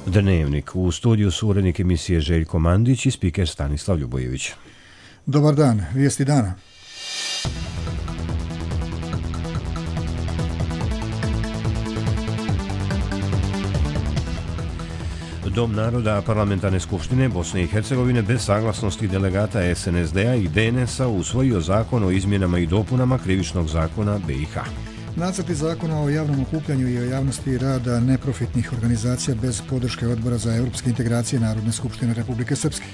Dnevnik. U studiju su urednik emisije Željko Mandić i spiker Stanislav Ljubojević. Dobar dan, vijesti dana. Dom naroda Parlamentarne skupštine Bosne i Hercegovine bez saglasnosti delegata SNSD-a i DNS-a usvojio zakon o izmjenama i dopunama krivičnog zakona BiH. Nacrti zakona o javnom okupljanju i o javnosti rada neprofitnih organizacija bez podrške Odbora za europske integracije Narodne skupštine Republike Srpske.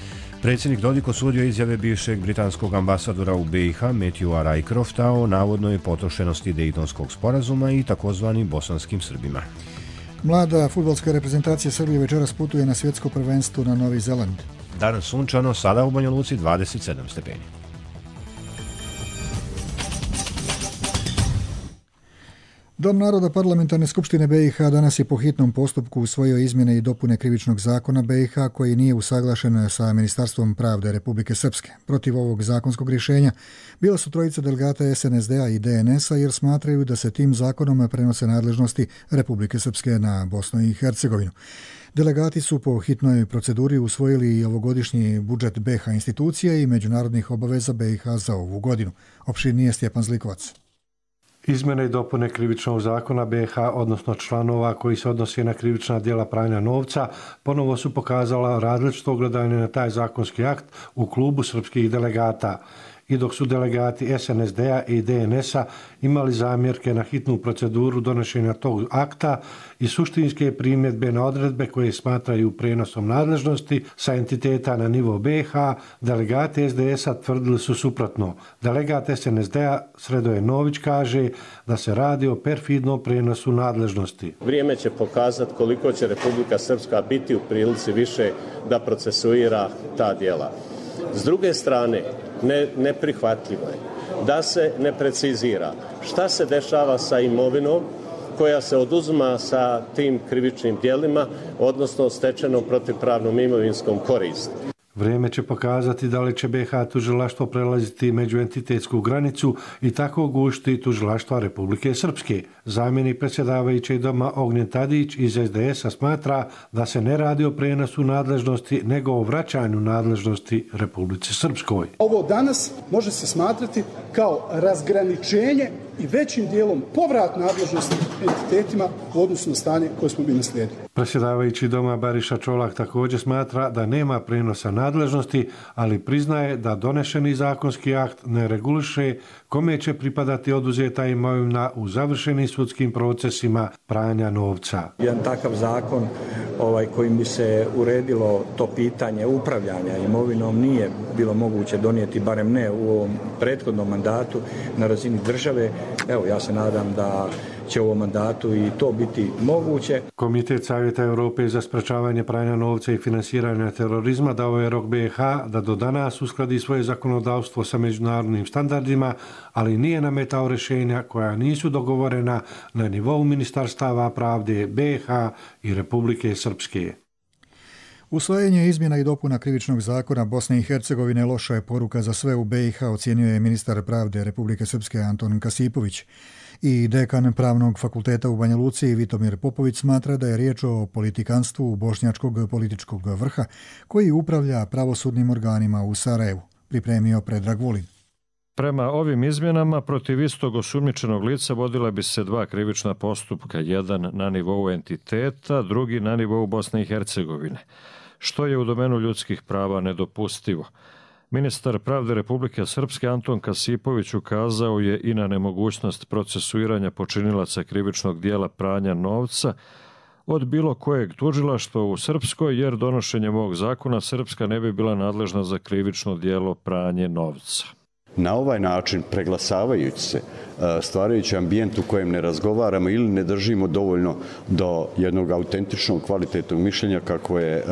Predsjednik Dodik osudio izjave bivšeg britanskog ambasadora u BiH Matthewa Rycrofta o navodnoj potrošenosti Dejtonskog sporazuma i takozvanim bosanskim Srbima. Mlada fudbalska reprezentacija Srbije večeras putuje na svjetsko prvenstvo na Novi Zeland. Danas sunčano, sada u Banja Luci 27 stepeni. Dom naroda Parlamentarne skupštine BiH danas je po hitnom postupku usvojio izmjene i dopune krivičnog zakona BiH koji nije usaglašen sa Ministarstvom pravde Republike Srpske. Protiv ovog zakonskog rješenja bila su trojica delegata SNSD-a i DNS-a jer smatraju da se tim zakonom prenose nadležnosti Republike Srpske na Bosnu i Hercegovinu. Delegati su po hitnoj proceduri usvojili i ovogodišnji budžet BiH institucija i međunarodnih obaveza BiH za ovu godinu. Opširnije Stjepan Zlikovac. Izmjene i dopune krivičnog zakona BiH, odnosno članova koji se odnosi na krivična djela pranja novca, ponovo su pokazala različito gledanje na taj zakonski akt u klubu srpskih delegata. I dok su delegati SNSD-a i DNS-a imali zamjerke na hitnu proceduru donošenja tog akta i suštinske primjedbe na odredbe koje smatraju prenosom nadležnosti sa entiteta na nivo BiH, delegati SDS-a tvrdili su suprotno. Delegat SNSD-a Sredoje Nović kaže da se radi o perfidnom prenosu nadležnosti. Vrijeme će pokazati koliko će Republika Srpska biti u prilici više da procesuira ta djela. S druge strane, neprihvatljivo je da se ne precizira šta se dešava sa imovinom koja se oduzima sa tim krivičnim djelima, odnosno stečenom protivpravnom imovinskom koristi. Vrijeme će pokazati da li će BiH tužilaštvo prelaziti međuentitetsku granicu i tako gušiti tužilaštva Republike Srpske. Zamjenik predsjedavajućeg doma Ognjen Tadić iz SDS-a smatra da se ne radi o prenosu nadležnosti, nego o vraćanju nadležnosti Republici Srpskoj. Ovo danas može se smatrati kao razgraničenje i većim dijelom povrat nadležnosti entitetima u odnosu na stanje koje smo bi naslijedili. Predsjedavajući doma Bariša Čolak također smatra da nema prenosa nadležnosti, ali priznaje da donešeni zakonski akt ne reguliše kome će pripadati oduzeta imovina u završenim sudskim procesima pranja novca. Jedan takav zakon kojim bi se uredilo to pitanje upravljanja imovinom nije bilo moguće donijeti, barem ne u ovom prethodnom mandatu na razini države. Evo, ja se nadam da će u ovom mandatu i to biti moguće. Komitet Savjeta Europe za sprečavanje pranja novca i finansiranja terorizma dao je rok BiH da do danas uskladi svoje zakonodavstvo sa međunarodnim standardima, ali nije nametao rješenja koja nisu dogovorena na nivou Ministarstava pravde BiH i Republike Srpske. Usvajanje izmjena i dopuna krivičnog zakona Bosne i Hercegovine loša je poruka za sve u BiH, ocjenio je ministar pravde Republike Srpske Anton Kasipović. I dekan Pravnog fakulteta u Banja Luci Vitomir Popović smatra da je riječ o politikanstvu bošnjačkog političkog vrha koji upravlja pravosudnim organima u Sarajevu, pripremio Predrag Vulin. Prema ovim izmjenama protiv istog osumnjičenog lica vodila bi se dva krivična postupka, jedan na nivou entiteta, drugi na nivou Bosne i Hercegovine, što je u domenu ljudskih prava nedopustivo. Ministar pravde Republike Srpske Anton Kasipović ukazao je i na nemogućnost procesuiranja počinilaca krivičnog dijela pranja novca od bilo kojeg tužilaštva u Srpskoj, jer donošenjem ovog zakona Srpska ne bi bila nadležna za krivično djelo pranje novca. Na ovaj način, preglasavajući se, stvarajući ambijent u kojem ne razgovaramo ili ne držimo dovoljno do jednog autentičnog, kvalitetnog mišljenja kako je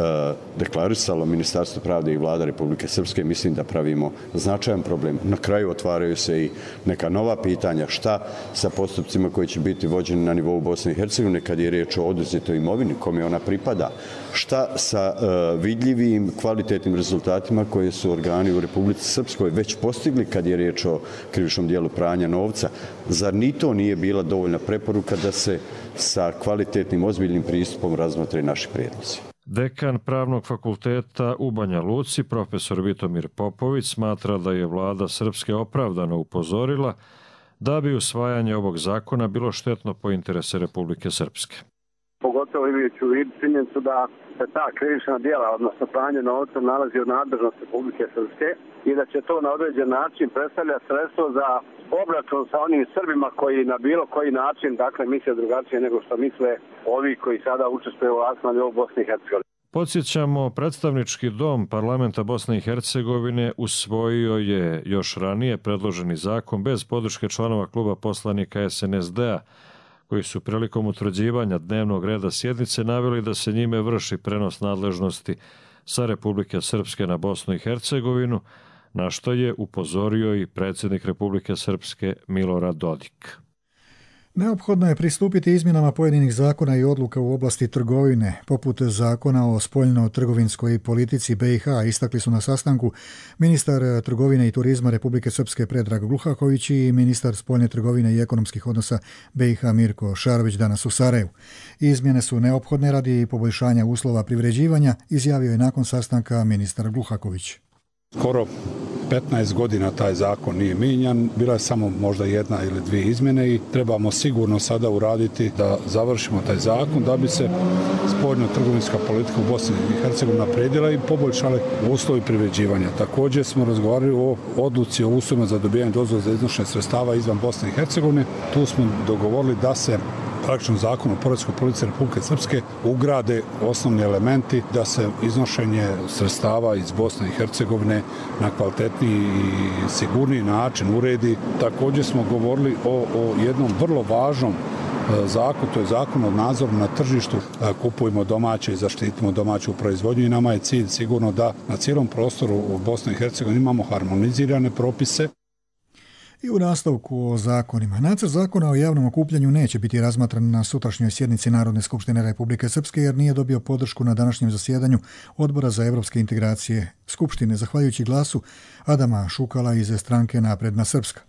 deklarisalo Ministarstvo pravde i Vlada Republike Srpske, mislim da pravimo značajan problem. Na kraju otvaraju se i neka nova pitanja, šta sa postupcima koji će biti vođeni na nivou Bosne i Hercegovine kad je riječ o oduzetoj imovini, kome ona pripada, šta sa vidljivim, kvalitetnim rezultatima koje su organi u Republici Srpskoj već postigli kad je riječ o krivičnom dijelu pranja novca. Zar ni to nije bila dovoljna preporuka da se sa kvalitetnim, ozbiljnim pristupom razmotre naši prijedlozi? Dekan Pravnog fakulteta u Banja Luci, profesor Vitomir Popović, smatra da je vlada Srpske opravdano upozorila da bi usvajanje ovog zakona bilo štetno po interese Republike Srpske. Pogotovo imajući u vidu činjenicu da se ta krivična djela, odnosno pranje novca, nalazi u nadležnosti Republike Srpske i da će to na određen način predstavljati sredstvo za obračun sa onim Srbima koji na bilo koji način, dakle, misle drugačije nego što misle ovi koji sada učestvuju u vlasti na nivou Bosne i Hercegovine. Podsjećamo, predstavnički dom parlamenta Bosne i Hercegovine usvojio je još ranije predloženi zakon bez podrške članova kluba poslanika SNSD-a, koji su prilikom utvrđivanja dnevnog reda sjednice naveli da se njime vrši prenos nadležnosti sa Republike Srpske na Bosnu i Hercegovinu, na što je upozorio i predsjednik Republike Srpske Milorad Dodik. Neophodno je pristupiti izmjenama pojedinih zakona i odluka u oblasti trgovine, poput zakona o spoljno-trgovinskoj politici BiH, istakli su na sastanku ministar trgovine i turizma Republike Srpske Predrag Gluhaković i ministar spoljne trgovine i ekonomskih odnosa BiH Mirko Šarović danas u Sarajevu. Izmjene su neophodne radi poboljšanja uslova privređivanja, izjavio je nakon sastanka ministar Gluhaković. Skoro 15 godina taj zakon nije mijenjan, bila je samo možda jedna ili dvije izmjene i trebamo sigurno sada uraditi da završimo taj zakon da bi se spoljno-trgovinska politika u Bosni i Hercegovini naprijedila i poboljšale uslovi privređivanja. Također smo razgovarali o odluci o uslovima za dobijanje dozvola za iznošenje sredstava izvan Bosne i Hercegovine. Tu smo dogovorili da se praktično zakon o poreskoj politici Republike Srpske ugrade osnovni elementi da se iznošenje sredstava iz Bosne i Hercegovine na kvalitetniji i sigurniji način uredi. Također smo govorili o jednom vrlo važnom zakon, to je zakon o nadzoru na tržištu. Kupujemo domaće i zaštitimo domaću proizvodnju i nama je cilj sigurno da na cijelom prostoru u Bosni i Hercegovini imamo harmonizirane propise. I u nastavku o zakonima. Nacrt zakona o javnom okupljanju neće biti razmatran na sutrašnjoj sjednici Narodne skupštine Republike Srpske jer nije dobio podršku na današnjem zasjedanju Odbora za evropske integracije Skupštine, zahvaljujući glasu Adama Šukala iz stranke Napredna Srpska.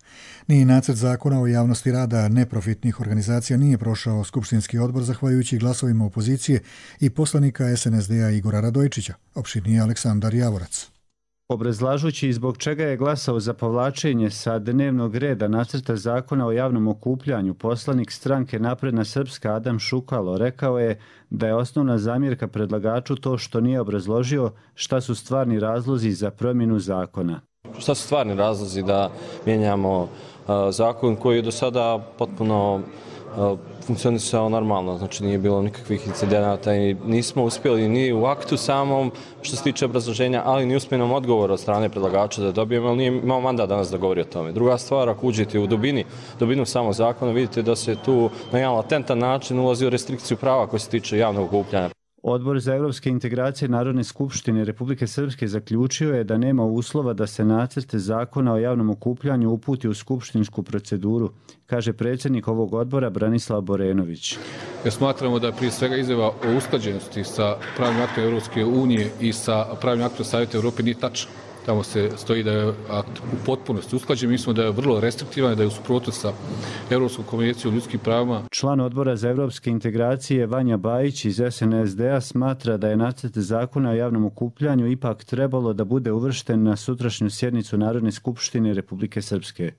Ni nacrt zakona o javnosti rada neprofitnih organizacija nije prošao Skupštinski odbor zahvaljujući glasovima opozicije i poslanika SNSD-a Igora Radojčića, opširnije Aleksandar Javorac. Obrazlažući zbog čega je glasao za povlačenje sa dnevnog reda nacrta zakona o javnom okupljanju, poslanik stranke Napredna Srpska Adam Šukalo rekao je da je osnovna zamjerka predlagaču to što nije obrazložio šta su stvarni razlozi za promjenu zakona. Šta su stvarni razlozi da mijenjamo zakon koji je do sada potpuno funkcionisao normalno, znači nije bilo nikakvih incidenata i nismo uspjeli ni u aktu samom što se tiče obrazloženja, ali ni usmenom odgovoru od strane predlagača da dobijemo, ali nije imao mandat danas da govori o tome. Druga stvar, ako uđete u dubinu samog zakona, vidite da se tu na jedan latentan način ulazi u restrikciju prava koje se tiče javnog okupljanja. Odbor za evropske integracije Narodne skupštine Republike Srpske zaključio je da nema uslova da se nacrt zakona o javnom okupljanju uputi u skupštinsku proceduru, kaže predsjednik ovog odbora Branislav Borenović. Jer smatramo da je prije svega izjava o usklađenosti sa pravnim aktom Evropske unije i sa pravnim aktom Savjeta Evrope nije tačna. Tamo se stoji da je akt u potpunosti usklađen. Mislimo da je vrlo restriktivan i da je u suprotnosti sa Evropskom konvencijom o ljudskim pravima. Član Odbora za evropske integracije Vanja Bajić iz SNSD-a smatra da je nacrt zakona o javnom okupljanju ipak trebalo da bude uvršten na sutrašnju sjednicu Narodne skupštine Republike Srpske.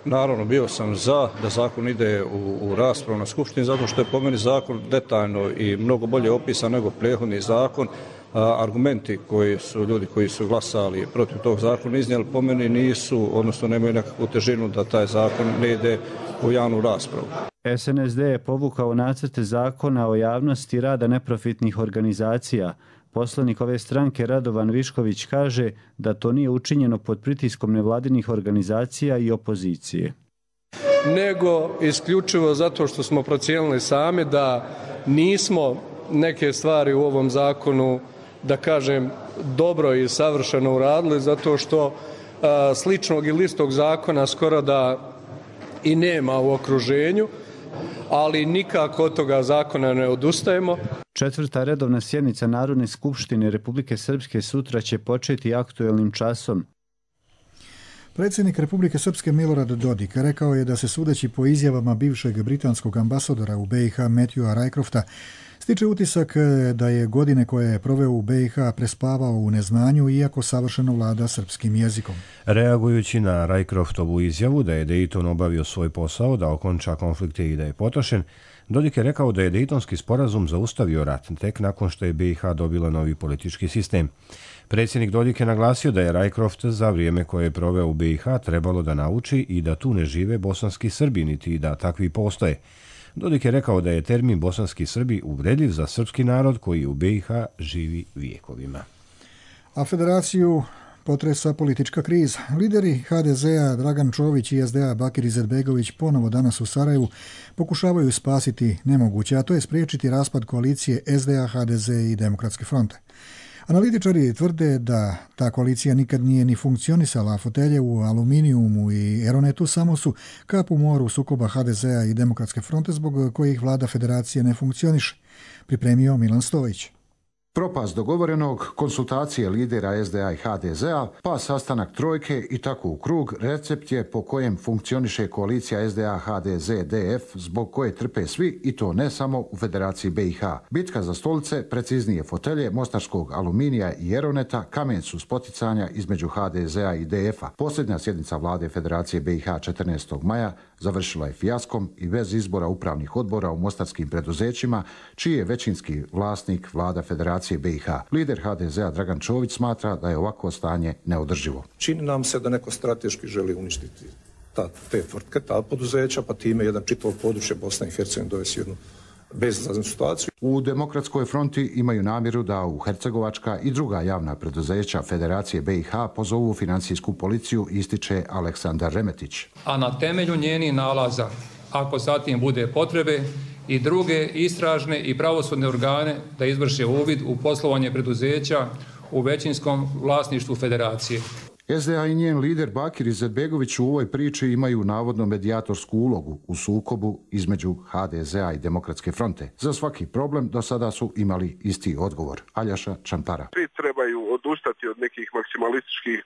Naravno, bio sam za da zakon ide u raspravu na skupštini, zato što je po meni zakon detaljno i mnogo bolje opisan nego prethodni zakon. Argumenti koji su ljudi koji su glasali protiv tog zakona iznijeli po meni nisu, odnosno nemaju nekakvu težinu da taj zakon ne ide u javnu raspravu. SNSD je povukao nacrte zakona o javnosti rada neprofitnih organizacija. Poslanik ove stranke Radovan Višković kaže da to nije učinjeno pod pritiskom nevladinih organizacija i opozicije. Nego isključivo zato što smo procijenili sami da nismo neke stvari u ovom zakonu, da kažem, dobro i savršeno uradili, zato što sličnog ili istog zakona skoro da i nema u okruženju, ali nikako od toga zakona ne odustajemo. Četvrta redovna sjednica Narodne skupštine Republike Srpske sutra će početi aktuelnim časom. Predsjednik Republike Srpske Milorad Dodik rekao je da se sudeći po izjavama bivšeg britanskog ambasadora u BiH Matthewa Rycrofta stiče utisak da je godine koje je proveo u BiH prespavao u neznanju iako savršeno vlada srpskim jezikom. Reagujući na Rycroftovu izjavu da je Dayton obavio svoj posao da okonča konflikte i da je potrošen, Dodik je rekao da je Dejtonski sporazum zaustavio rat tek nakon što je BiH dobila novi politički sistem. Predsjednik Dodik je naglasio da je Rycroft za vrijeme koje je proveo u BiH trebalo da nauči i da tu ne žive bosanski Srbi, niti da takvi postoje. Dodik je rekao da je termin bosanski Srbi uvredljiv za srpski narod koji u BiH živi vijekovima. A federaciju potresa politička kriza. Lideri HDZ-a Dragan Čović i SDA Bakir Izetbegović ponovo danas u Sarajevu pokušavaju spasiti nemoguće, a to je spriječiti raspad koalicije SDA, HDZ i Demokratske fronte. Analitičari tvrde da ta koalicija nikad nije ni funkcionisala, a fotelje u Aluminiumu i Eronetu samo su kap u moru sukoba HDZ-a i Demokratske fronte zbog kojih vlada federacije ne funkcioniše, pripremio Milan Stojić. Propast dogovorenog, konsultacije lidera SDA i HDZ-a, pa sastanak trojke i tako u krug, recept je po kojem funkcioniše koalicija SDA, HDZ, DF, zbog koje trpe svi i to ne samo u Federaciji BiH. Bitka za stolice, preciznije fotelje, mostarskog Aluminija i Eroneta, kamen su spoticanja između HDZ-a i DF-a. Posljednja sjednica vlade Federacije BiH 14. maja završila je fijaskom i bez izbora upravnih odbora u mostarskim preduzećima, čiji je većinski vlasnik vlada Federacije BiH. Lider HDZ-a Dragan Čović smatra da je ovakvo stanje neodrživo. Čini nam se da neko strateški želi uništiti te tvrtke, ta poduzeća, pa time jedan čitavo područje Bosne i Hercegovine dovesti jednu bezizlaznu situaciju. U Demokratskoj fronti imaju namjeru da u hercegovačka i druga javna preduzeća Federacije BiH pozovu financijsku policiju, ističe Aleksandar Remetić. A na temelju njenih nalaza, ako zatim bude potrebe, i druge istražne i pravosudne organe da izvrše uvid u poslovanje preduzeća u većinskom vlasništvu Federacije. SDA i njen lider Bakir Izetbegović u ovoj priči imaju navodno medijatorsku ulogu u sukobu između HDZ-a i Demokratske fronte. Za svaki problem do sada su imali isti odgovor. Aljaša Čampara. Svi trebaju odustati od nekih maksimalističkih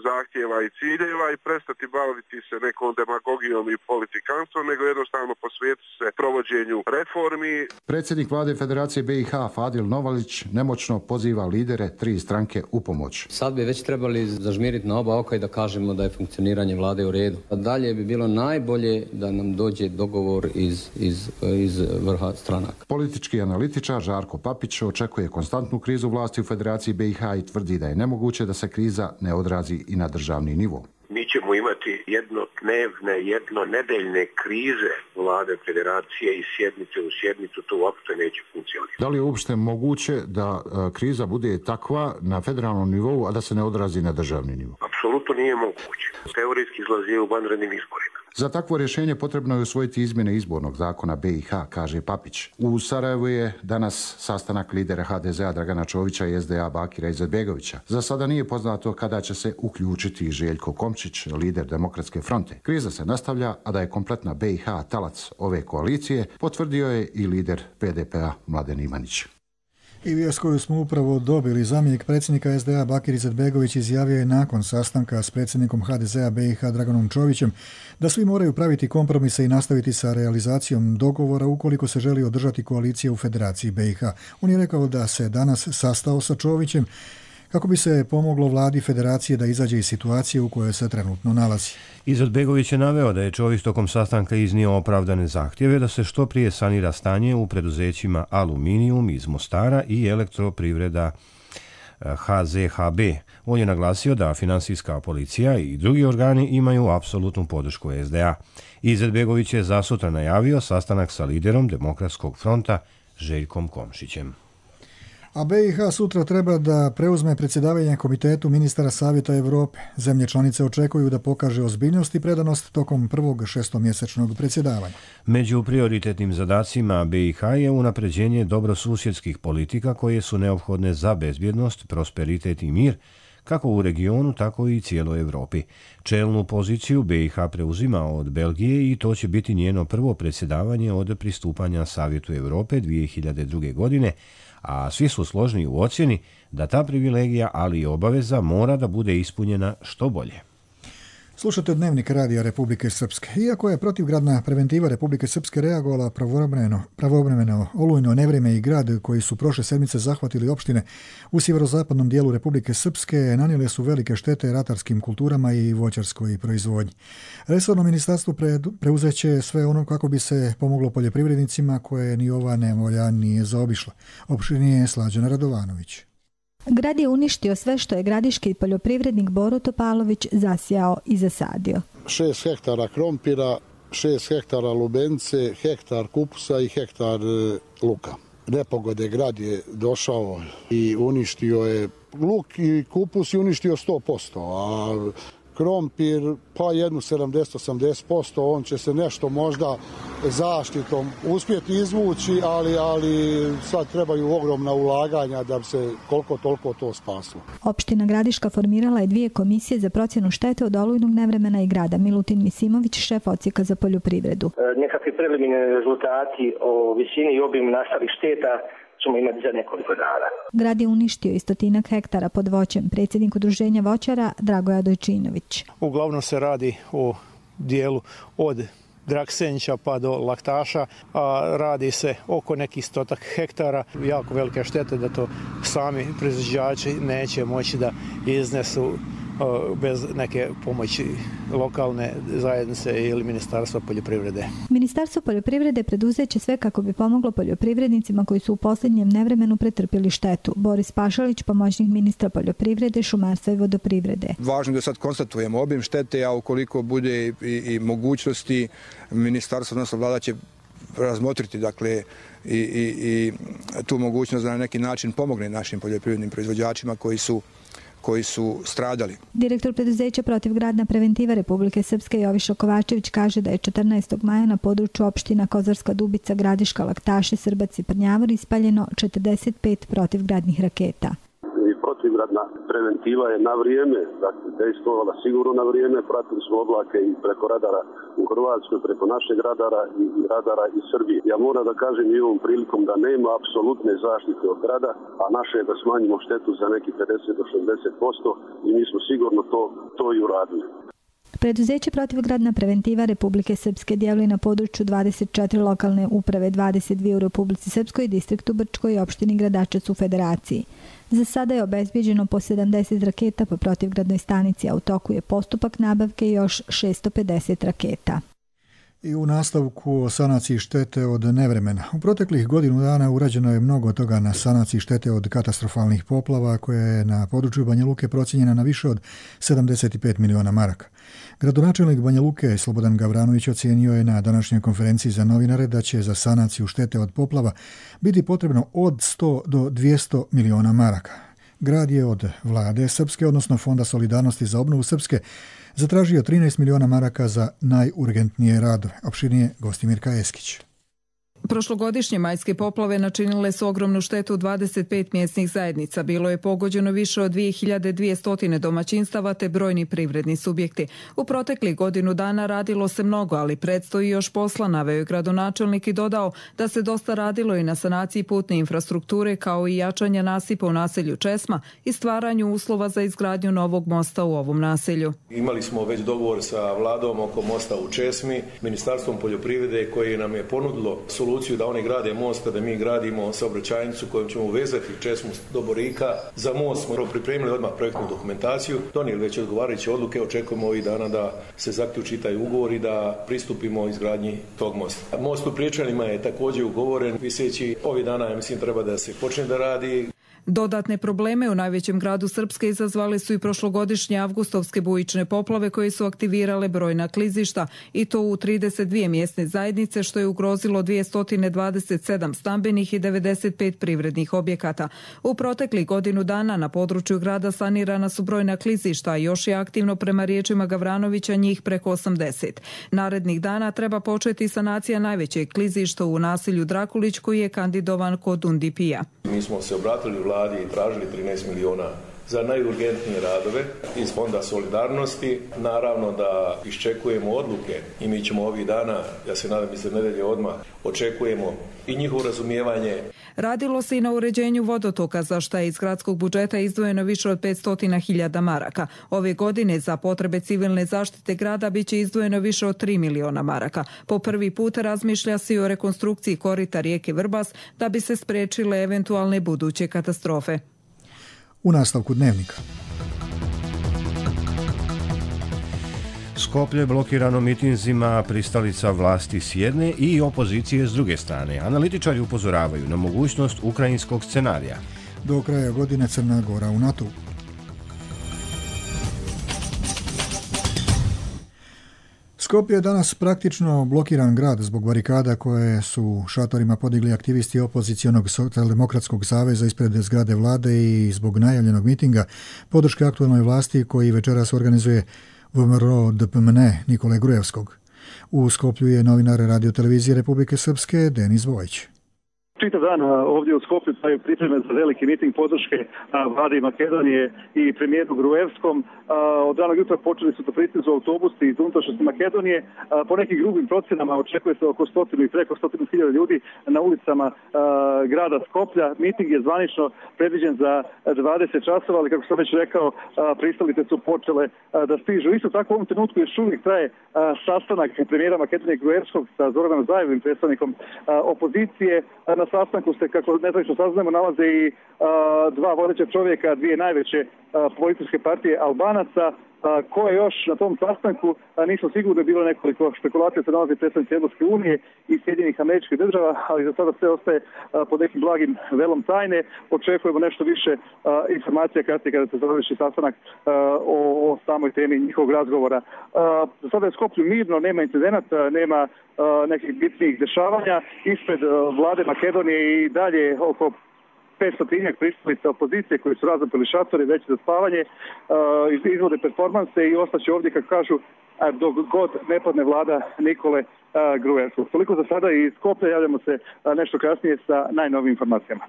zahtjeva i ciljeva i prestati baviti se nekom demagogijom i politikanstvom, nego jednostavno posvetiti se provođenju reformi. Predsjednik vlade Federacije BiH Fadil Novalić nemoćno poziva lidere tri stranke u pomoć. Sad bi već trebali zažmiriti na oba oka i da kažemo da je funkcioniranje vlade u redu. A dalje bi bilo najbolje da nam dođe dogovor iz vrha stranaka. Politički analitičar Žarko Papić očekuje konstantnu krizu vlasti u Federaciji BiH i tvrdi da je nemoguće da se kriza ne odrazi i na državni nivo. Mi ćemo imati jednodnevne, jednonedeljne krize vlade Federacije i sjednice u sjednicu, to uopšte neće funkcionirati. Da li je uopšte moguće da kriza bude takva na federalnom nivou, a da se ne odrazi na državni nivo? Apsolutno nije moguće. Teorijski izlazi u vanrednim izborima. Za takvo rješenje potrebno je usvojiti izmjene izbornog zakona BiH, kaže Papić. U Sarajevu je danas sastanak lidera HDZ-a Dragana Čovića i SDA Bakira Izetbegovića. Za sada nije poznato kada će se uključiti Željko Komšić, lider Demokratske fronte. Kriza se nastavlja, a da je kompletna BiH talac ove koalicije, potvrdio je i lider PDP-a Mladen Ivanić. I vijest koju smo upravo dobili, zamjenik predsjednika SDA Bakir Izetbegović izjavio je nakon sastanka s predsjednikom HDZ-a BiH Draganom Čovićem da svi moraju praviti kompromise i nastaviti sa realizacijom dogovora ukoliko se želi održati koalicija u Federaciji BiH. On je rekao da se danas sastao sa Čovićem kako bi se pomoglo vladi Federacije da izađe iz situacije u kojoj se trenutno nalazi. Izetbegović je naveo da je Čović tokom sastanka iznio opravdane zahtjeve da se što prije sanira stanje u preduzećima Aluminijum iz Mostara i Elektroprivreda HZHB. On je naglasio da finansijska policija i drugi organi imaju apsolutnu podršku SDA. Izetbegović je za sutra najavio sastanak sa liderom Demokratskog fronta Željkom Komšićem. A BiH sutra treba da preuzme predsjedavanje Komitetu ministara Savjeta Europe. Zemlje članice očekuju da pokaže ozbiljnost i predanost tokom prvog šestomjesečnog predsjedavanja. Među prioritetnim zadacima BiH je unapređenje dobrosusjedskih politika koje su neophodne za bezbjednost, prosperitet i mir, kako u regionu, tako i cijeloj Europi. Čelnu poziciju BiH preuzima od Belgije i to će biti njeno prvo predsjedavanje od pristupanja Savjetu Europe 2002. godine, a svi su složni u ocjeni da ta privilegija, ali i obaveza, mora da bude ispunjena što bolje. Slušate Dnevnik radija Republike Srpske. Iako je protivgradna preventiva Republike Srpske reagovala pravovremeno, olujno nevrijeme i grad koji su prošle sedmice zahvatili opštine u sjeverozapadnom dijelu Republike Srpske nanijele su velike štete ratarskim kulturama i voćarskoj proizvodnji. Resorno ministarstvo preuzeće sve ono kako bi se pomoglo poljoprivrednicima koje ni ova nevolja nije zaobišla. Opštinije Slađana Radovanović. Grad je uništio sve što je gradiški poljoprivrednik Boro Topalović zasijao i zasadio. 6 hektara krompira, 6 hektara lubenice, hektar kupusa i hektar luka. Nepogode grad je došao i uništio je luk i kupus i uništio 100%, a krompir pa jednu 70-80%, on će se nešto možda zaštitom uspjeti izvući, ali sad trebaju ogromna ulaganja da bi se koliko toliko to spaslo. Opština Gradiška formirala je 2 komisije za procjenu štete od olujnog nevremena i grada. Milutin Misimović, šef odsjeka za poljoprivredu. Nekakvi preliminarni rezultati o visini i obimu nastalih šteta ćemo imati za nekoliko dana. Grad je uništio 100 hektara pod voćem. Predsjednik udruženja voćara Dragoja Dojčinović. Uglavnom se radi o dijelu od Draksenića pa do Laktaša, a radi se oko nekih 100 hektara. Jako velike štete da to sami proizvođači neće moći da iznesu bez neke pomoći lokalne zajednice ili Ministarstva poljoprivrede. Ministarstvo poljoprivrede preduzeće sve kako bi pomoglo poljoprivrednicima koji su u posljednjem nevremenu pretrpjeli štetu. Boris Pašalić, pomoćnik ministra poljoprivrede, šumarstva i vodoprivrede. Važno da sad konstatujemo obim štete, a ukoliko bude i mogućnosti, ministarstvo, odnosno vlada će razmotriti dakle i tu mogućnost da na neki način pomogne našim poljoprivrednim proizvođačima koji su stradali. Direktor preduzeća protivgradna preventiva Republike Srpske Joviša Kovačević kaže da je 14. maja na području opština Kozarska Dubica, Gradiška, Laktaši, Srbac i Prnjavor ispaljeno 45 protivgradnih raketa. Protivgradna preventiva je na vrijeme, dakle, dejstvovala sigurno na vrijeme, pratili smo oblake i preko radara u Hrvatskoj, preko našeg radara i radara iz Srbije. Ja moram da kažem i ovom prilikom da nema apsolutne zaštite od grada, a naše je da smanjimo štetu za neki 50 do 60% i mi smo sigurno to i uradili. Preduzeće protivgradna preventiva Republike Srpske djeluje na području 24 lokalne uprave, 22 u Republici Srpskoj, distriktu Brčkoj i opštini Gradačac u Federaciji. Za sada je obezbeđeno po 70 raketa po protivgradnoj stanici, a u toku je postupak nabavke još 650 raketa. I u nastavku o sanaciji štete od nevremena. U proteklih godinu dana urađeno je mnogo toga na sanaciji štete od katastrofalnih poplava koja je na području Banja Luke procijenjena na više od 75 miliona maraka. Gradonačelnik Banja Luke Slobodan Gavranović ocijenio je na današnjoj konferenciji za novinare da će za sanaciju štete od poplava biti potrebno od 100 do 200 miliona maraka. Grad je od vlade Srpske, odnosno Fonda solidarnosti za obnovu Srpske, zatražio 13 miliona maraka za najurgentnije radove. Opštinije Gostimirka Eskić. Prošlogodišnje majske poplave načinile su ogromnu štetu 25 mjesnih zajednica. Bilo je pogođeno više od 2200 domaćinstava te brojni privredni subjekti. U proteklih godinu dana radilo se mnogo, ali predstoji još posla, naveo je gradonačelnik i dodao da se dosta radilo i na sanaciji putne infrastrukture kao i jačanja nasipa u naselju Česma i stvaranju uslova za izgradnju novog mosta u ovom naselju. Imali smo već dogovor sa vladom oko mosta u Česmi, Ministarstvom poljoprivrede koje nam je ponudilo soluciju da oni grade most, da mi gradimo saobraćajnicu kojom ćemo uvezati Česmu do Borika. Za most smo pripremili odmah projektnu dokumentaciju, donijeli već odgovarajuće odluke, očekujemo ovih dana da se zaključi taj ugovor i da pristupimo izgradnji tog mosta. Most u Priječanima je također ugovoren, viseći ovih dana, ja mislim, treba da se počne da radi. Dodatne probleme u najvećem gradu Srpske izazvali su i prošlogodišnje avgustovske bujične poplave koje su aktivirale brojna klizišta i to u 32 mjesne zajednice što je ugrozilo 227 stambenih i 95 privrednih objekata. U proteklih godinu dana na području grada sanirana su brojna klizišta, a još je aktivno prema riječima Gavranovića njih preko 80. Narednih dana treba početi sanacija najvećeg klizišta u naselju Drakulić koji je kandidovan kod UNDP-a. Mi smo se obratili vladi i tražili 13 miliona za najurgentnije radove iz Fonda solidarnosti. Naravno da iščekujemo odluke i mi ćemo ovih dana, ja se nadam iz nedelje odmah, očekujemo i njihovo razumijevanje. Radilo se i na uređenju vodotoka, za što je iz gradskog budžeta izdvojeno više od 500.000 maraka. Ove godine za potrebe civilne zaštite grada biće izdvojeno više od 3 miliona maraka. Po prvi put razmišlja se i o rekonstrukciji korita rijeke Vrbas da bi se spriječile eventualne buduće katastrofe. U nastavku dnevnika. Skoplje blokirano mitinzima, pristalica vlasti s jedne i opozicije s druge strane. Analitičari upozoravaju na mogućnost ukrajinskog scenarija. Do kraja godine Crna Gora u NATO. Skopje je danas praktično blokiran grad zbog barikada koje su šatorima podigli aktivisti opozicionog Socijaldemokratskog saveza ispred zgrade vlade i zbog najavljenog mitinga podrške aktualnoj vlasti koji večeras organizuje VMRO DPMN Nikole Grujevskog. U Skoplju je novinar radiotelevizije Republike Srpske Denis Vojić. Čitav dan ovdje u Skoplju traju pripreme za veliki miting podrške vladi Makedonije i premijeru Gruevskom. Od ranog jutra počeli su da pristižu autobusi iz unutrašnjosti Makedonije. Po nekim grubim procenama očekuje se oko 100 i preko 100.000 ljudi na ulicama grada Skoplja. Miting je zvanično predviđen za 20 časova, ali kako sam već rekao, pristalice su počele da stižu. Isto tako u ovom trenutku još uvijek traje sastanak premijera Makedonije Gruevskog sa Zoranom Zajevim, predstavnikom opozicije. Na sastanku se, kako nezvanično saznamo, nalaze i dva vodeća čovjeka, dvije najveće političke partije Albanaca. Ko je još na tom sastanku, nismo sigurni, bilo nekoliko špekulacija, se nalazi predstavnici Evropske unije i Sjedinjenih Američkih Država, ali za sada sve ostaje pod nekim blagim velom tajne. Očekujemo nešto više informacija kasnije kada se završi sastanak o samoj temi njihovog razgovora. Za sada je Skoplju mirno, nema incidenata, nema nekih bitnijih dešavanja. Ispred vlade Makedonije i dalje oko 500 pristalica opozicije koji su razapili šatore već za spavanje, izvode performanse i ostaće ovdje, kako kažu, dok god ne padne vlada Nikole Gruevskog. Toliko za sada i iz Skoplja, javljamo se nešto kasnije sa najnovijim informacijama.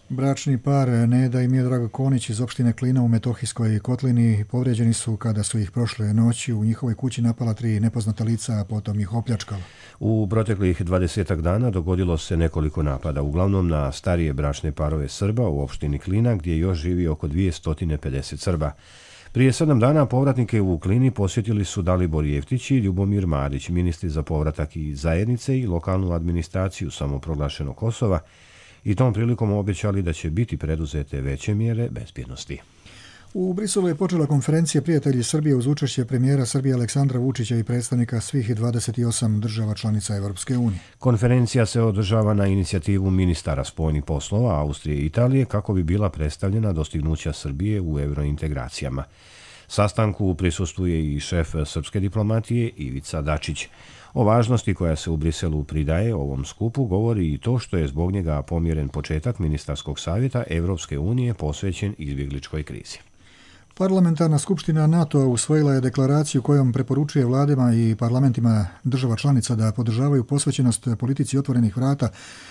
Bračni par Neda i Miodrag Konić iz opštine Klina u Metohijskoj kotlini povrijeđeni su kada su ih prošle noći u njihovoj kući napala 3 nepoznata lica, a potom ih opljačkala. U proteklih 20 dana dogodilo se nekoliko napada, uglavnom na starije bračne parove Srba u opštini Klina, gdje još živi oko 250 Srba. Prije 7 dana povratnike u Klini posjetili su Dalibor Jeftić i Ljubomir Marić, ministri za povratak i zajednice i lokalnu administraciju samoproglašenog Kosova, i tom prilikom obećali da će biti preduzete veće mjere bezbjednosti. U Briselu je počela konferencija Prijatelji Srbije uz učešće premijera Srbije Aleksandra Vučića i predstavnika svih 28 država članica Evropske unije. Konferencija se održava na inicijativu ministara spoljnih poslova Austrije i Italije kako bi bila predstavljena dostignuća Srbije u eurointegracijama. Sastanku prisustvuje i šef srpske diplomatije Ivica Dačić. O važnosti koja se u Briselu pridaje ovom skupu govori i to što je zbog njega pomjeren početak ministarskog savjeta Evropske unije posvećen izbjegličkoj krizi. Parlamentarna skupština NATO usvojila je deklaraciju kojom preporučuje vladama i parlamentima država članica da podržavaju posvećenost politici otvorenih vrata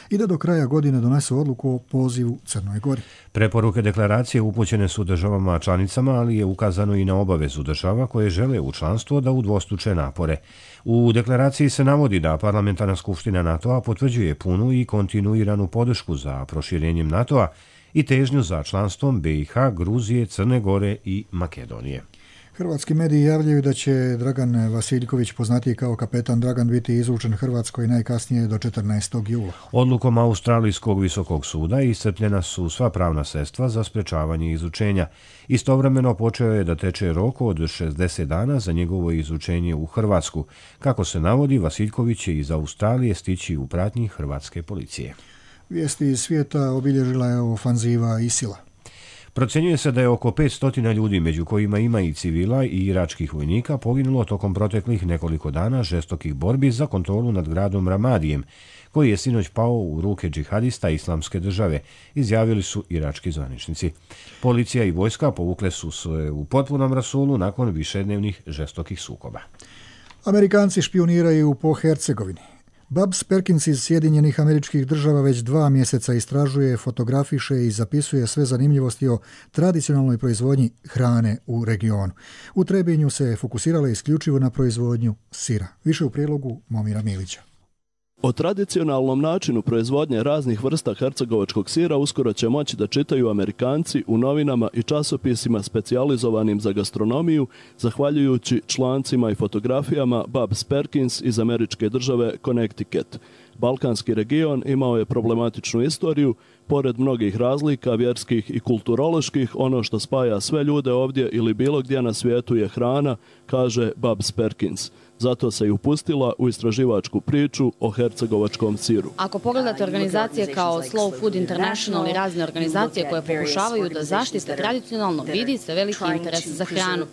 i da do kraja godine donesu odluku o pozivu Crnoj Gori. Preporuke deklaracije upućene su državama članicama, ali je ukazano i na obavezu država koje žele u članstvo da udvostruče napore. U deklaraciji se navodi da Parlamentarna skupština NATO-a potvrđuje punu i kontinuiranu podršku za proširenjem NATO-a i težnju za članstvom BiH, Gruzije, Crne Gore i Makedonije. Hrvatski mediji javljaju da će Dragan Vasiljković, poznatiji kao kapetan Dragan, biti izručen Hrvatskoj najkasnije do 14. jula. Odlukom Australijskog visokog suda iscrpljena su sva pravna sredstva za sprečavanje izručenja. Istovremeno počeo je da teče rok od 60 dana za njegovo izručenje u Hrvatsku. Kako se navodi, Vasiljković će iz Australije stići u pratnji hrvatske policije. Vijesti iz svijeta obilježila je ofanziva ISIL-a. Procjenjuje se da je oko 500 ljudi, među kojima ima i civila i iračkih vojnika, poginulo tokom proteklih nekoliko dana žestokih borbi za kontrolu nad gradom Ramadijem, koji je sinoć pao u ruke džihadista Islamske države, izjavili su irački zvaničnici. Policija i vojska povukle su se u potpunom rasulu nakon višednevnih žestokih sukoba. Amerikanci špioniraju po Hercegovini. Babs Perkins iz Sjedinjenih Američkih Država već 2 mjeseca istražuje, fotografiše i zapisuje sve zanimljivosti o tradicionalnoj proizvodnji hrane u regionu. U Trebinju se fokusirala isključivo na proizvodnju sira. Više u prilogu Momira Milića. O tradicionalnom načinu proizvodnje raznih vrsta hercegovačkog sira uskoro će moći da čitaju Amerikanci u novinama i časopisima specijalizovanim za gastronomiju, zahvaljujući člancima i fotografijama Babs Perkins iz američke države Connecticut. Balkanski region imao je problematičnu istoriju, pored mnogih razlika, vjerskih i kulturoloških, ono što spaja sve ljude ovdje ili bilo gdje na svijetu je hrana, kaže Babs Perkins. Zato se i upustila u istraživačku priču o hercegovačkom siru. Ako pogledate organizacije kao Slow Food International i razne organizacije koje pokušavaju da zaštite tradicionalno, vidi se veliki interes za hranu.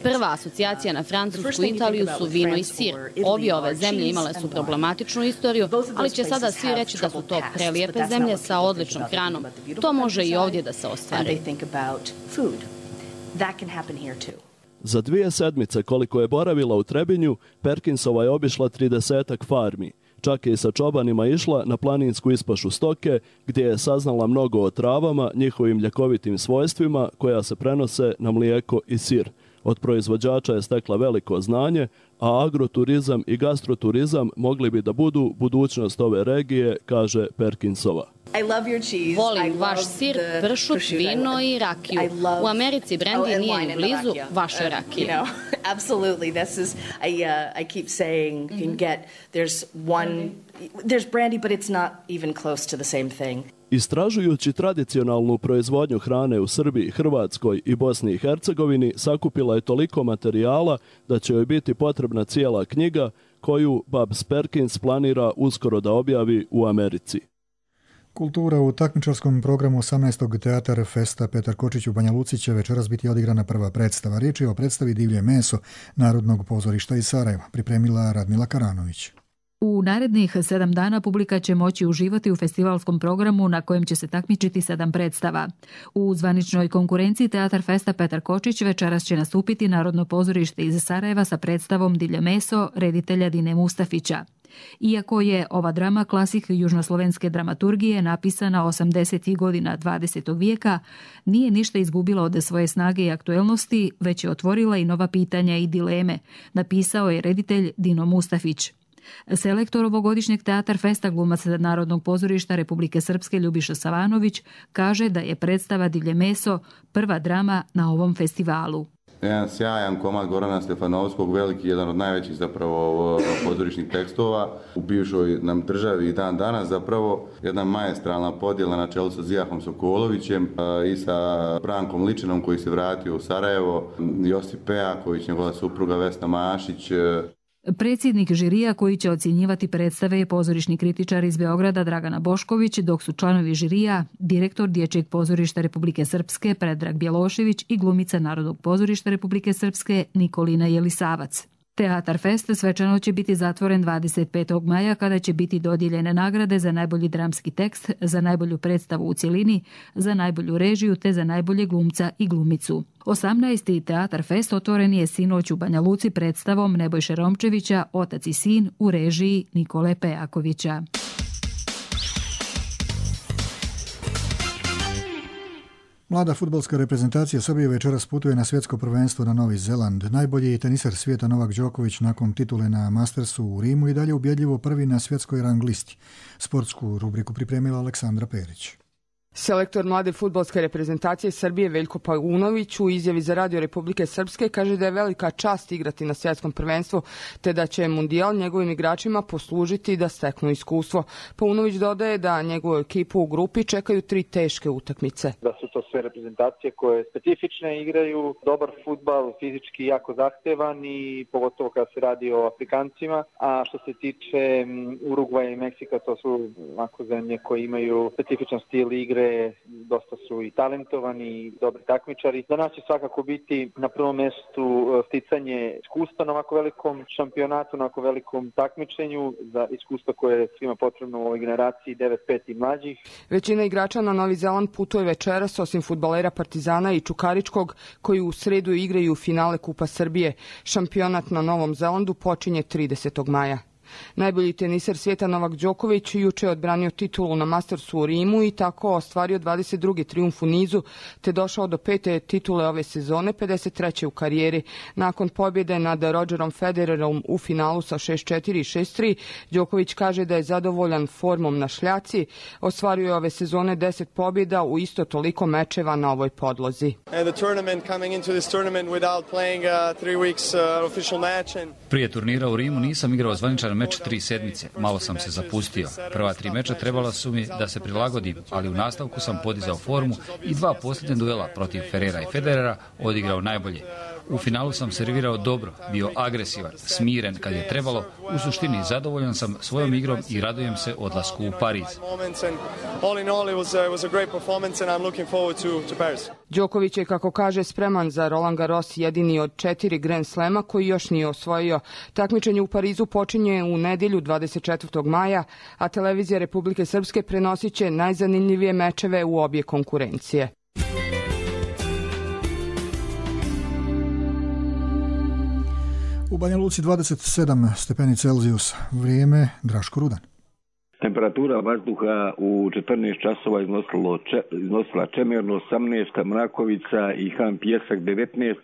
Prva asocijacija na Francusku i Italiju su vino i sir. Obje ove zemlje imale su problematičnu istoriju, ali će sada svi reći da su to prelijepe zemlje sa odličnom hranom. To može i ovdje da se ostvari. Za 2 sedmice koliko je boravila u Trebinju, Perkinsova je obišla 30-ak farmi. Čak je i sa čobanima išla na planinsku ispašu stoke, gdje je saznala mnogo o travama, njihovim ljekovitim svojstvima koja se prenose na mlijeko i sir. Od proizvođača je stekla veliko znanje, a agroturizam i gastroturizam mogli bi da budu budućnost ove regije, kaže Perkinsova. Volim vaš sir, pršut, vino i rakiju. U Americi brandy nije ni blizu vaše rakije. Absolutely. This is I keep saying you can get there's brandy but it's not even close to the same thing. Istražujući tradicionalnu proizvodnju hrane u Srbiji, Hrvatskoj i Bosni i Hercegovini, sakupila je toliko materijala da će joj biti potrebna cijela knjiga koju Babs Perkins planira uskoro da objavi u Americi. Kultura u takmičarskom programu 18. Teatar Festa Petar Kočić u Banja Luci će večeras biti odigrana prva predstava. Riječ je o predstavi Divlje meso Narodnog pozorišta iz Sarajeva, pripremila Radmila Karanović. U narednih 7 dana publika će moći uživati u festivalskom programu na kojem će se takmičiti 7 predstava. U zvaničnoj konkurenciji Teatar Festa Petar Kočić večeras će nastupiti Narodno pozorište iz Sarajeva sa predstavom Divlje meso reditelja Dine Mustafića. Iako je ova drama klasik južnoslovenske dramaturgije napisana 80. godina 20. vijeka, nije ništa izgubila od svoje snage i aktuelnosti, već je otvorila i nova pitanja i dileme, napisao je reditelj Dino Mustafić. Selektor ovogodišnjeg Teatar Festa, glumac Narodnog pozorišta Republike Srpske Ljubiša Savanović, kaže da je predstava Divlje meso prva drama na ovom festivalu. Jedan sjajan komad Gorana Stefanovskog, veliki, jedan od najvećih zapravo pozorišnih tekstova u bivšoj nam državi i dan danas, zapravo jedna maestralna podjela na čelu sa Zijahom Sokolovićem i sa Brankom Ličinom koji se vratio u Sarajevo, Josip Pejaković, njegova supruga Vesna Mašić. Predsjednik žirija koji će ocjenjivati predstave je pozorišni kritičar iz Beograda Dragana Bošković, dok su članovi žirija direktor Dječjeg pozorišta Republike Srpske Predrag Bjelošević i glumica Narodnog pozorišta Republike Srpske Nikolina Jelisavac. Teatar Fest svečano će biti zatvoren 25. maja kada će biti dodijeljene nagrade za najbolji dramski tekst, za najbolju predstavu u cjelini, za najbolju režiju te za najbolje glumca i glumicu. 18. Teatar Fest otvoren je sinoć u Banja Luci predstavom Nebojše Romčevića Otac i sin u režiji Nikole Pejakovića. Mlada fudbalska reprezentacija Srbije večeras putuje na svjetsko prvenstvo na Novi Zeland. Najbolji teniser svijeta Novak Đoković nakon titule na Mastersu u Rimu i dalje ubjedljivo prvi na svjetskoj rang listi. Sportsku rubriku pripremila Aleksandra Perić. Selektor mlade fudbalske reprezentacije Srbije Veljko Paunović u izjavi za Radio Republike Srpske kaže da je velika čast igrati na svjetskom prvenstvu, te da će mundijal njegovim igračima poslužiti da steknu iskustvo. Paunović dodaje da njegovu ekipu u grupi čekaju 3 teške utakmice. Da su to sve reprezentacije koje specifične igraju, dobar fudbal, fizički jako zahtevan i pogotovo kada se radi o Afrikancima. A što se tiče Urugvaja i Meksika, to su zemlje koje imaju specifičan stil igre, dosta su i talentovani i dobri takmičari. Za nas će svakako biti na prvom mjestu sticanje iskustva na ovako velikom šampionatu, na ovako velikom takmičenju, za iskustva koje je svima potrebno u ovoj generaciji 9-5 i mlađih. Većina igrača na Novi Zeland putuje večeras, osim fudbalera Partizana i Čukaričkog, koji u sredu igraju finale Kupa Srbije. Šampionat na Novom Zelandu počinje 30. maja. Najbolji teniser svijeta Novak Đoković juče je odbranio titulu na Mastersu u Rimu i tako ostvario 22. trijumf u nizu, te došao do 5. titule ove sezone, 53. u karijeri. Nakon pobjede nad Rogerom Federerom u finalu sa 6-4 i 6-3, Đoković kaže da je zadovoljan formom na šljaci. Ostvario je ove sezone 10 pobjeda u isto toliko mečeva na ovoj podlozi. Prije turnira u Rimu nisam igrao zvaničan meč 3 sedmice. Malo sam se zapustio. Prva 3 meča trebala su mi da se prilagodim, ali u nastavku sam podizao formu i 2 posljednje duela protiv Ferrera i Federera odigrao najbolje. U finalu sam servirao dobro, bio agresivan, smiren kad je trebalo. U suštini zadovoljan sam svojom igrom i radujem se odlasku u Pariz. Đoković je, kako kaže, spreman za Roland Garros, jedini od 4 Grand Slema koji još nije osvojio. Takmičenje u Parizu počinje u nedjelju 24. maja, a televizija Republike Srpske prenosit će najzanimljivije mečeve u obje konkurencije. U Banja Luci 27 stepeni Celzijusa. Vrijeme Draško Rudan. Temperatura vazduha u 14 časova iznosila Čemerno 18, Mrakovica i Han Pjesak 19,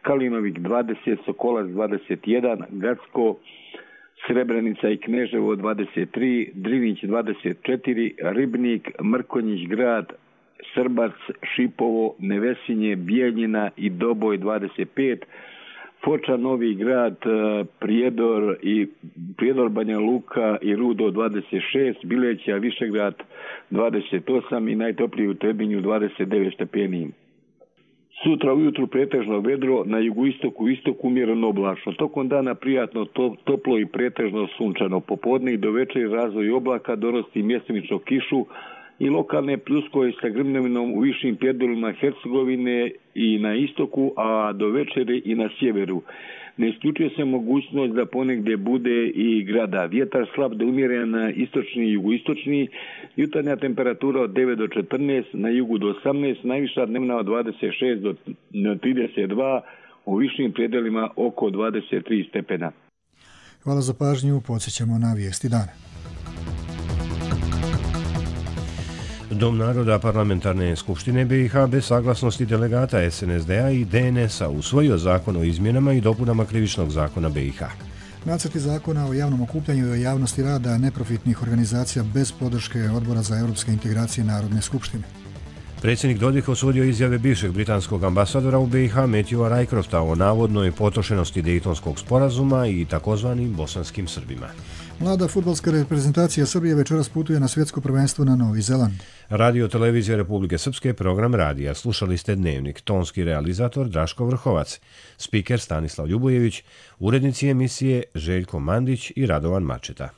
Kalinovik 20, Sokolac 21, Gacko, Srebrenica i Kneževo 23, Drinić 24, Ribnik, Mrkonjić Grad, Srbac, Šipovo, Nevesinje, Bijeljina i Doboj 25, Foča, Novi Grad, Prijedor, Banja Luka i Rudo 26, Bileća, Višegrad 28 i najtopliji u Trebinju 29 stepeni. Sutra ujutru pretežno vedro, na jugoistoku i istoku umjereno oblačno. Tokom dana prijatno toplo i pretežno sunčano. Popodne i do večeri razvoj oblaka donosi mjestimično kišu i lokalne pljuskoje sa grmljavinom u višim predjelima Hercegovine i na istoku, a do večeri i na sjeveru. Ne isključuje se mogućnost da ponegdje bude i grada. Vjetar slab do umjeren istočni i jugoistočni, jutarnja temperatura od 9 do 14, na jugu do 18, najviša dnevna od 26 do 32, u višim predjelima oko 23 stepena. Hvala za pažnju, podsjećamo na vijesti dana. Dom naroda Parlamentarne skupštine BiH bez saglasnosti delegata SNSD-a i DNS-a usvojio zakon o izmjenama i dopunama krivičnog zakona BiH. Nacrti zakona o javnom okupljanju i o javnosti rada neprofitnih organizacija bez podrške Odbora za europske integracije Narodne skupštine. Predsjednik Dodik osudio izjave bivšeg britanskog ambasadora u BiH Matthewa Rycrofta o navodnoj potrošenosti Dejtonskog sporazuma i takozvanim bosanskim Srbima. Mlada fudbalska reprezentacija Srbije večeras putuje na svjetsko prvenstvo na Novi Zeland. Radio Televizija Republike Srpske, program radija. Slušali ste Dnevnik, tonski realizator Draško Vrhovac, spiker Stanislav Ljubojević, urednici emisije Željko Mandić i Radovan Mačeta.